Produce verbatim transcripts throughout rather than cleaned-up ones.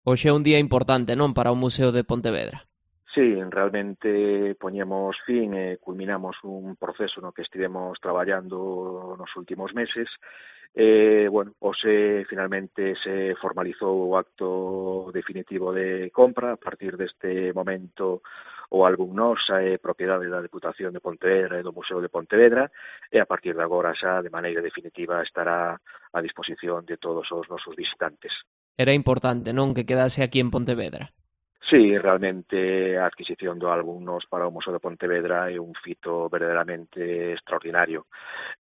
Hoxe é un día importante, non, para o Museo de Pontevedra. Sí, realmente poñemos fin e culminamos un proceso no que estivemos traballando nos últimos meses. Eh, bueno, hoxe finalmente se formalizou o acto definitivo de compra. A partir deste momento o álbum Nosa é propiedade da Deputación de Pontevedra e do Museo de Pontevedra, e a partir de agora xa de maneira definitiva estará a disposición de todos os nosos visitantes. Era importante, non, que quedase aquí en Pontevedra. Sí, realmente a adquisición do álbum Nos para o Museo de Pontevedra é un fito verdadeiramente extraordinario.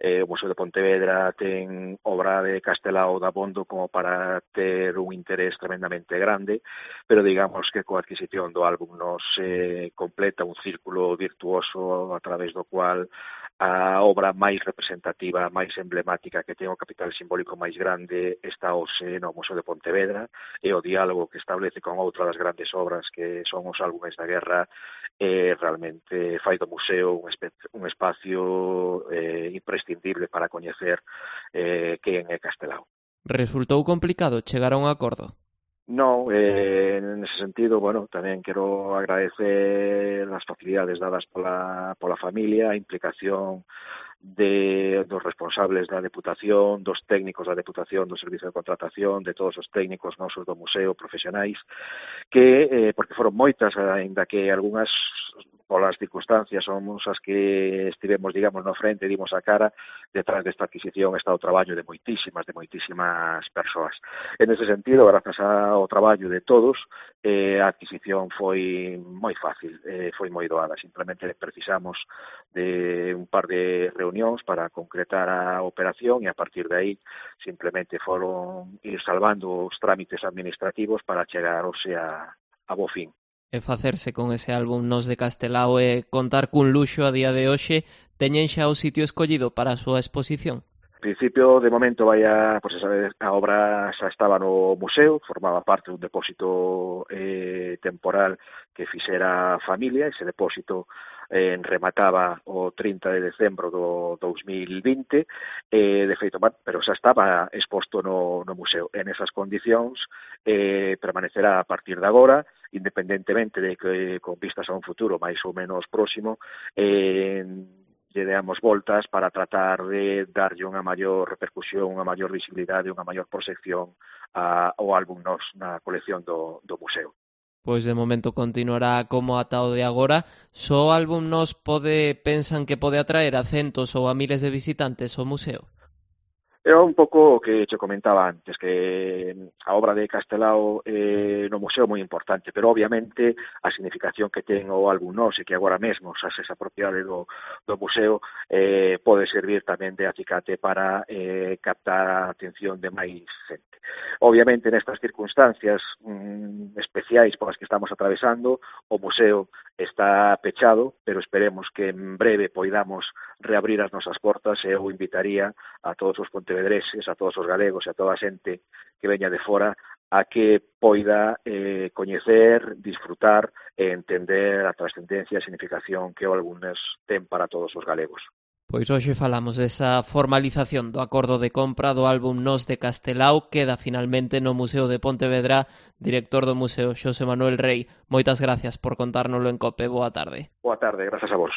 Eh, o Museo de Pontevedra ten obra de Castelao dabondo como para ter un interés tremendamente grande, pero digamos que coa adquisición do álbum Nos eh, completa un círculo virtuoso a través do cual a obra máis representativa, máis emblemática, que ten o capital simbólico máis grande, está hoxe no Museo de Pontevedra, e o diálogo que establece con outra das grandes obras que son os álbumes da guerra, eh, realmente fai do museo un, un espacio eh, imprescindible para coñecer eh, quen é Castelao. Resultou complicado chegar a un acordo? No, eh, en ese sentido, bueno, tamén quero agradecer as facilidades dadas pola, pola familia, a implicación de dos responsables da Deputación, dos técnicos da Deputación, do Servicio de Contratación, de todos os técnicos nosos do museo, profesionais, que, eh, porque foron moitas, ainda que algunhas polas circunstancias somos as que estivemos, digamos, no frente, dimos a cara, detrás desta adquisición está o traballo de moitísimas, de moitísimas persoas. En ese sentido, grazas ao traballo de todos, eh, a adquisición foi moi fácil, eh, foi moi doada. Simplemente precisamos de un par de reunións para concretar a operación e a partir de aí simplemente foron ir salvando os trámites administrativos para chegar hoxe a, a bo fin. E facerse con ese álbum Nos de Castelao e contar cun luxo a día de hoxe, teñen xa o sitio escollido para a súa exposición? En principio, de momento, vai a, pues, a obra xa estaba no museo, formaba parte dun depósito eh, temporal que fixera a familia. Ese depósito eh, remataba o trinta de decembro do dous mil vinte, eh, de feito, pero xa estaba exposto no, no museo. En esas condicións eh, permanecerá a partir de agora, independentemente de que con vistas a un futuro máis ou menos próximo, eh, lle deamos voltas para tratar de darlle unha maior repercusión, unha maior visibilidade, unha maior proxección ao álbum Nos na colección do, do museo. Pois de momento continuará como ata o de agora. Só o álbum Nos pode, pensan que pode atraer a centos ou a miles de visitantes ao museo? É un pouco o que te comentaba antes, que a obra de Castelao eh, no museo é moi importante, pero obviamente a significación que ten o álbum Nos e que agora mesmo xa se esa propiedade do, do museo eh, pode servir tamén de acicate para eh, captar a atención de máis xente. Obviamente nestas circunstancias mm, especiais polas que estamos atravesando, o museo está pechado, pero esperemos que en breve poidamos reabrir as nosas portas e eu invitaría a todos os pontevedreses, a todos os galegos e a toda a xente que veña de fora a que poida eh, coñecer, disfrutar e entender a trascendencia e a significación que o álbum Nos ten para todos os galegos. Pois hoxe falamos desa formalización do acordo de compra do álbum Nos de Castelao, queda finalmente no Museo de Pontevedra. Director do museo, Xosé Manuel Rei, moitas gracias por contárnoslo en COPE. Boa tarde. Boa tarde, grazas a vos.